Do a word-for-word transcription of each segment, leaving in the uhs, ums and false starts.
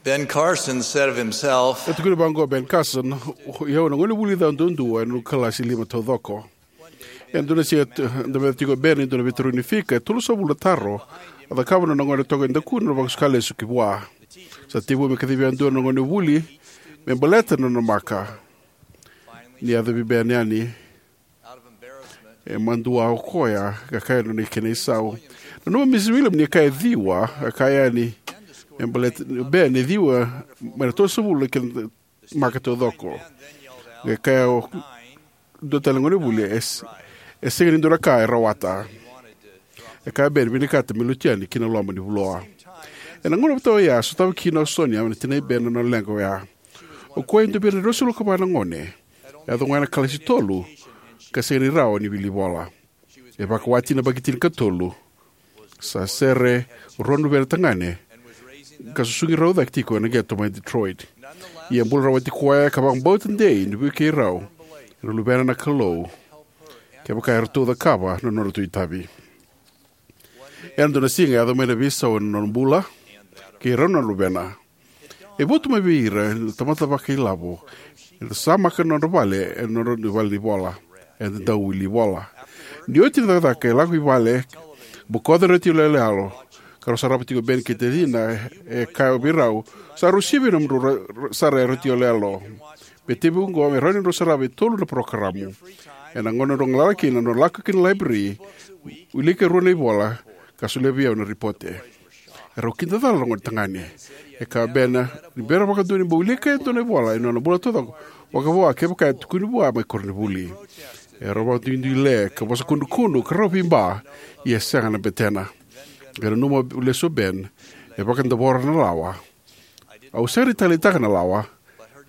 Ben Carson said of himself, E tukuna vaqo o Ben Carson, "O au na gonevuli ca duadua ena noqu kalasi lima taucoko." Ena dua na siga, e dau meca tiko o Ben e dua na veitarogi ni fika e tolusagavulu na taro a cakava na nona gone toka e dakuna na vakasuka lesu ki vua. Sa tekivu me kacivi yadua na gonevuli me baleta na nona maka. Ni yaco vei Ben yani, e madua o koya, ka kaya na nona kena isau. Nanuma o Misi Williams ni kaya e ciwa, ka kaya yani, me baleta, Ben, e ciwa mai na tolusagavulu na kena maka taucoko. Ka kaya o dua tale na gonevuli, e s-, e sega ni dua na ka e rawata. E kaya o Ben, vinakata me lutu yani ki na loma ni vuloa. Ena gauna vata oya, sotava kina o Sonia, na tinai Ben, na nona leqa oya. O koya e dua vei ira na ruasagavulu ka va na gone. E yaco ga ena kalasi tolu, ka sega ni rawa ni wili vola. E vakawati na yabaki tinikatolu. Sa sere rua na luvena tagane, ka susugi rau cake tiko ena qeto mai Detroit. Ia e bula rawati koya ka vakabauta dei ni vukei rau na luvena na Kalou, kevaka eratou cakava na nodratou itavi. Ena dua na siga e yaco mai na veisau ena nona bula kei rau na luvena. E votu mai vei ira na tamata vakailavo, era sa maka na nodra vale ena nodra vale ni vola, eda dau wili vola. Ni oti na cakacaka, e lako i vale, bokoca na retio yaloyalo, ka rau sarava tiko o Ben kei tacina. E kaya vei rau, "Sa rau sivia na nomudrau ra-, ra-, sara e retio yaloyalo." Me tekivu oqo, me rawa ni drau sarava e tolu na parokaramu. Ena gauna drau galala kina, drau lako ki na laiberi, wilika e rua na ivola, ka solia vei au na ripote. Erau kidacala na gone tagane. E kaya o Ben ni bera vakadua ni bau wilika e dua na ivola ena nona bula taucoko, vakavo kevaka e tukuni vua mai koronivuli. Erau vakaduiduile ka vosa kudrukudru ka rau veiba, ia e sega na betena. Qai nanuma lesu o Ben, e vakadavora na lawa. Au sega ni taleitaka na lawa,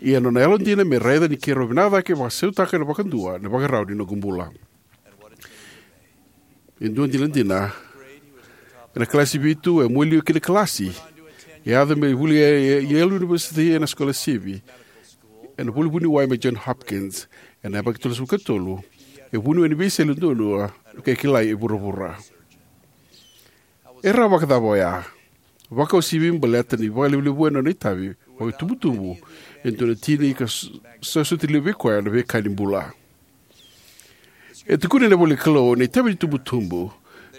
ia na nona yalodina me raica ni keirau vinaka cake vakasautaka na vakadua na ivakarau ni noqu bula. E dua dinadina, ena kalasi vitu, e muailio ki na kalasi. E yaco me vuli e, e, e Yale University ena sikolasivi, ena vuli vuniwai mai John Hopkins. Ena yabaki tolusagavulu ka tolu, e vuniwai ni veisele duadua e kilai e vuravura. E rawa vakacava oya? Vakauasivi baleta ni vakalevulevuya na nona itavi vakaitubutubu e dua na tina ka s-, sa soti levu vei koya na veika ni bula. E tukuna ena ivola ni Kalou na itavi ni itubutubu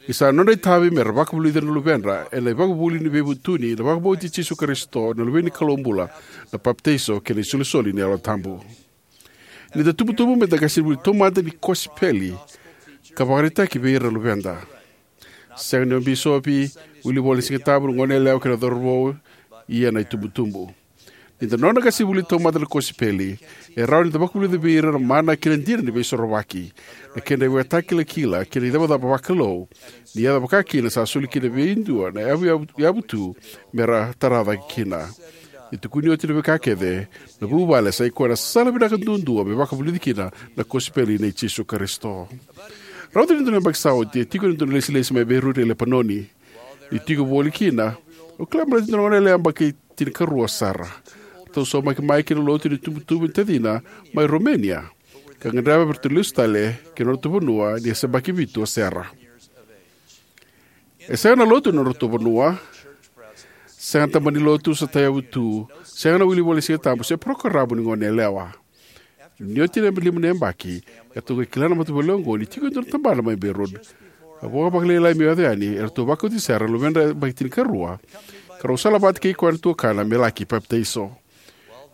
ni sa nodra itavi mera vakavulici ira na luvedra ena ivakavuvuli ni veivutuni, na vakabauti Jisu Karisito na Luve ni Kalou bula, na papitaiso kei na isolisoli ni Yalo Tabu. Ni da tubutubu, meda qasenivuli taumada ni kosipeli ka vakaraitaki vei ira na luveda. Sega ni o bisopi, wilivola ni Sigatabu, na goneyalewa kei na cauravou, ia na itubutubu. Ni da nona qasenivuli taumada na kosipeli, e rawa ni da vakavulica vei ira na mana kei na dina ni Veisorovaki, na kedra ivakatakilakila kei na icavacava vakalou, ni yaco vaka kina sa soli kina vei dua na yavu, yavu, yavu tu mera tara cake kina. Ni tukuni oti na veika kece, na vuvale sa i koya na sala vinaka duadua me vakavulici kina na kosipeli nei Jisu Karisito. Rauta ni dua na yabaki sa oti, e tiko ena dua na ilesilesi mai Beirut e Lepanoni. Niu tiko voli kina, au kila baleta e dua na goneyalewa yabaki tinikarua o Sara. Ratou saumaki mai ki na lotu ni tubutubu ni tacina mai Romania, ka gadreva me ratou lesu tale ki na nodratou vanua ni se yabaki vitu o Sara. E sega na lotu ena nodratou vanua, sega na tabana ni lotu sa tayavu tu, sega na wilivola ni Sigatabu se parokaramu ni goneyalewa. Ni oti na lima na yabaki, eratou qai kila na matavuvale oqo ni tiko e dua na tabana mai Beirut. A vo vakalailai meu yaco yani, eratou vakauti Sara, na luvedra yabaki tinikarua, ka rau salavata kei koya na tuakana me laki papitaiso.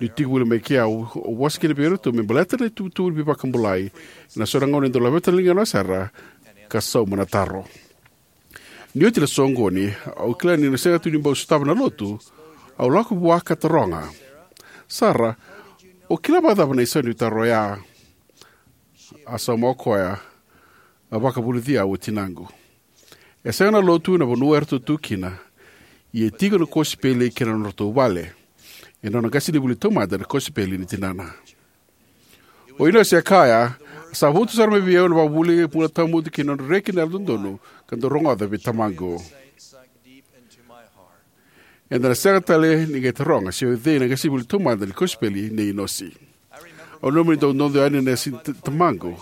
Niu tiko voli mai kea, au vosa kina vei iratou me baleta na itubutubu ni veivakabulai. Ena so na gauna e dau laveta na ligana o Sara ka sauma na taro. Ni oti na soqoni, au kila ni na sega tu ni bau sotava na lotu, au lako vua ka taroga, "Sara, o kila vakacava na isau ni taro oya?" A sauma o koya, "A vakavulici au o tinaqu." E sega na lotu ena vanua eratou tu kina, ia e tiko na kosipeli kei na nodratou vale. E nona qasenivuli taumada na kosipeli ni tinana. O Inosi e kaya, "Sa votu sara mai vei au na vakavuvuli, bula tawamudu kei na nodra reki na yalododonu, ka dau rogoca vei tamaqu." Eda na sega tale ni qai taroga se o cei na qasenivuli taumada ni kosipeli nei Inosi. Au nanuma ni dau dodo yani na yasa ni t-, tamaqu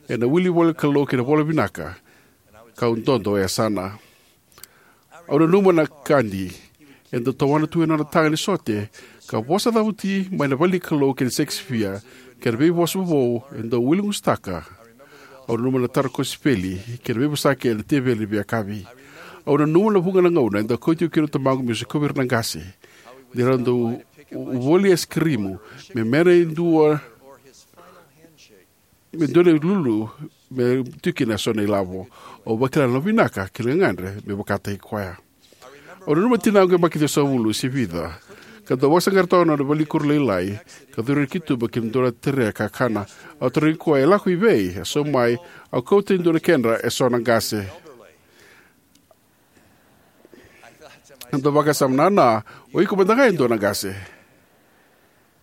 ena wilivola ni Kalou kei na vola vinaka, kau dodo e yasana. Au nanuma na kadi, E dau tawana tu ena nona taga ni sote ka vosa cavuti mai na vale ni Kalou kei na Shakespeare, kei na veivosa vovou e dau uiligusutaka. Au nanuma na taro kosipeli kei na veivosaki ena teveli ni veiyakavi. Au nanuma na vuqa na gauna e dau kauti au kina o tamaqu meu sikovi ira na qase ni ra dau voli aisikirimu me mena e dua, me dua na ilulu me tu kina eso na ilavo. Au vakila na vinaka kei na gagadre me vakataki koya. Au nanuma tinaqu yabaki ciwasagavulu se vica ka dau vakasaqara toka na nona valenikuro lailai ka curu ira ki tuba ki na dua na tere kakana. Au tarogi koya e lako i vei. E sauma mai, au kauta e dua na kedra eso na qase. Au dau vakasama, nana, o iko mada ga e dua na qase.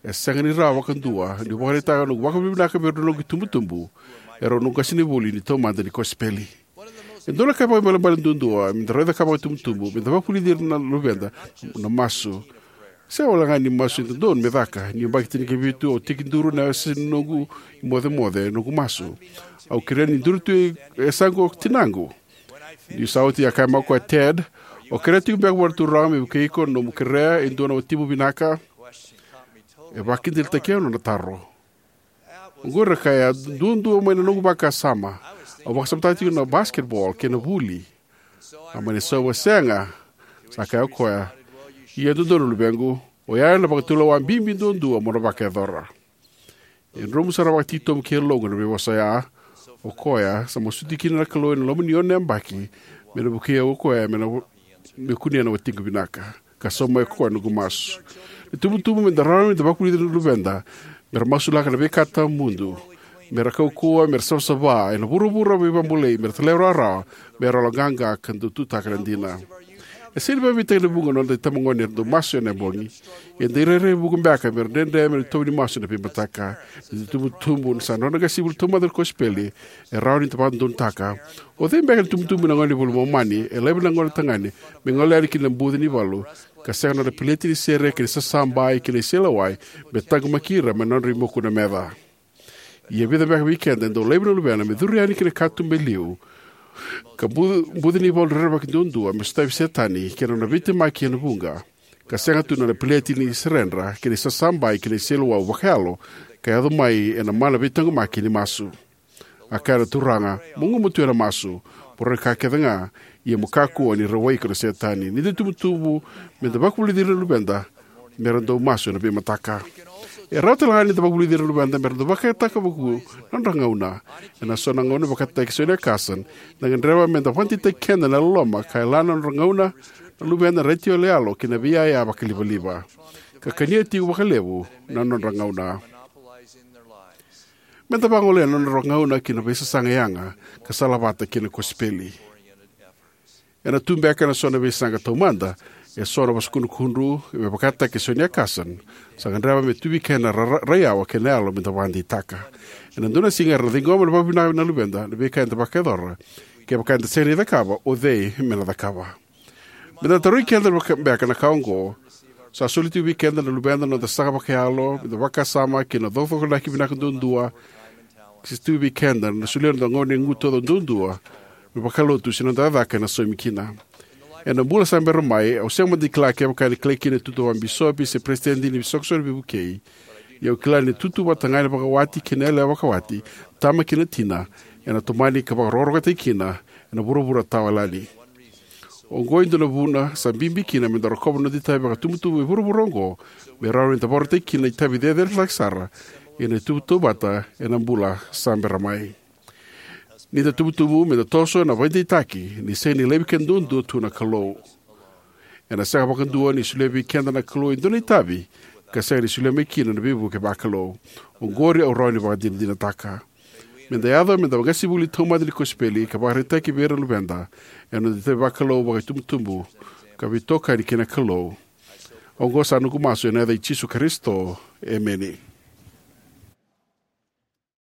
E sega ni rawa vakadua niu vakaraitaka noqu vakavinavinaka vei rau na noqu itubutubu, e rau noqu qasenivuli ni taumada ni kosipeli. E dua na ka vakaibalebale duadua me da raica ka vakaitubutubu me da vakavulici ira na luveda na masu. Sega walega ni masu e dodonu me caka. Niu yabaki tinikavitu, au tekiduru ena yasa ni noqu imocemoce noqu masu. Au kerea ni duri tu e yasaqu o tinaqu. Niu sa oti, a kaya mai o koya, Ted, o kerea tiko beka vua na Turaga me vukei iko na nomu kerea e dua na watimu vinaka? E vakakidaitaki au na nona taro. Oqori, a kaya, duadua mai na noqu vakasama. Au vakasamataka tiko na basketball kei na vuli. A mani sauma, sega, sa kaya o koya. Ia e dodonu, luvequ, oya na vakatulewa bibi duadua mo na vakayacora. E dromu sara vakatitobu ki yaloqu na veivosa oya. O koya sa masuti kina na Kalou ena loma ni ono na yabaki me na vukei au o koya me na, me kunea na watiqu vinaka. Ka sauma mai o koya noqu masu. Na itubutubu me da rawa ni da vakavulici ira na luveda me ra masulaka na veika tawamudu, me ra kaukauwa, me ra savasava ena vuravura veivakabulai, me ra talairawarawa, me ra yaloqaqa ka dau tutaka na dina. E sega ni vakabibi tale na vuqa na noda itabagone era dau masu ena bogi. Ia e dau rairai vuqa beka me ra dredre me ra itovo ni masu ena veimataka. Ni da itubutubu, ni sa nodra qasenivuli taumada na kosipeli, e rawa ni da vakadodonutaka. O cei beka na itubutubu ena gauna ni iVola i Momani e laiva na gone tagane me gole yani ki na buca ni valu, ka sega na nodra peleti ni sere kei na sasabai kei na iseleiwau me taqomaki ira mai na nodra imuku na meca? Ia e vica beka vei keda e dau laivi na luvena me curu yani ki na katuba e liu, ka bu-, buca ni valu rerevaki duadua me sotavi Setani kei na nona veitemaki ena vuqa, ka sega tu na nona peleti ni seredra kei na isasabai kei na iseleiwau vakayalo ka yaco mai ena mana veitaqomaki ni masu. A kaya na Turaga, mo gumatua ena masu, mo rawa ni ka kece ga, ia mo kakua ni rawai iko na Setani. Ni da itubutubu, me da vakavulici ira na luveda me ra dau masu ena veimataka. E rawa tale ga ni da vakavulici ira na luveda me ra dau vakayagataka vakavuku na nodra gauna. Ena so na gauna, vakataki Sonia Carson, eda gadreva me da vakadeitaki keda ena loloma ka yalana na nodra gauna na luveda, na raici yaloyalo kei na veiyaya vakalivaliva, ka kania tiko vakalevu na nodra gauna. Me da vagolea na nodra gauna ki na veisasaga yaga ka salavata kei na kosipeli. Ena tu beka ena so na veisaqa taumada eso na vosa kudrukudru, me vakataki Sonia Carson, sa gadreva me tu vei keda na ra-, ra-, raiyawa kei na yalo me da vakadeitaka. Ena dua na siga era na ciqoma na vakavinaka na luveda na veika eda vakayacora. Kevaka eda sega ni cakava, o cei me na cakava? Me da tarogi keda vaka-, beka na ka oqo. Sa soli tiko vei keda na luveda na noda saga vakayalo, me da vakasama kei na cokoconaki vinaka duadua. Sa tu vei keda na solia na noda gauna e gutu duadua me vakalotu, se na noda cakacaka ena saumi kina. Ena bula sa bera mai, au sega mada ni kila kevaka ena kilai kina na itutu vakabisopi se peresitedi ni isoqosoqo ni veivukei. Ia au kila ni itutu vata ga ena vakawati kei na yalewa vakawati, tama kei na tina, ena tomani ka vakarokorokotaki kina ena vuravura tawayalani. Oqo e dua na vuna sa bibi kina me da rokova na noda itavi vakatubutubu e vuravura oqo, me rawa ni da vakarautaki kina na itavi cecere cake sara, ia na itauvata ena bula sa bera mai. Ni da tubutubu, me da toso ena vakadeitaki ni sega ni laivi keda duadua tu na Kalou. Ena sega vakadua ni solia vei keda na Kalou e dua na itavi ka sega ni solia mai kina na veivuke vakalou. Oqori au rawa ni vakadinadinataka. Me da yaco me da qasenivuli taumada ni kosipeli ka vakaraitaki vei ira na luveda ena noda itavi vakalou vakaitubutubu ka veitokani kei na Kalou. Oqo sa noqu masu ena yaca i Jisu Karisito. Emeni.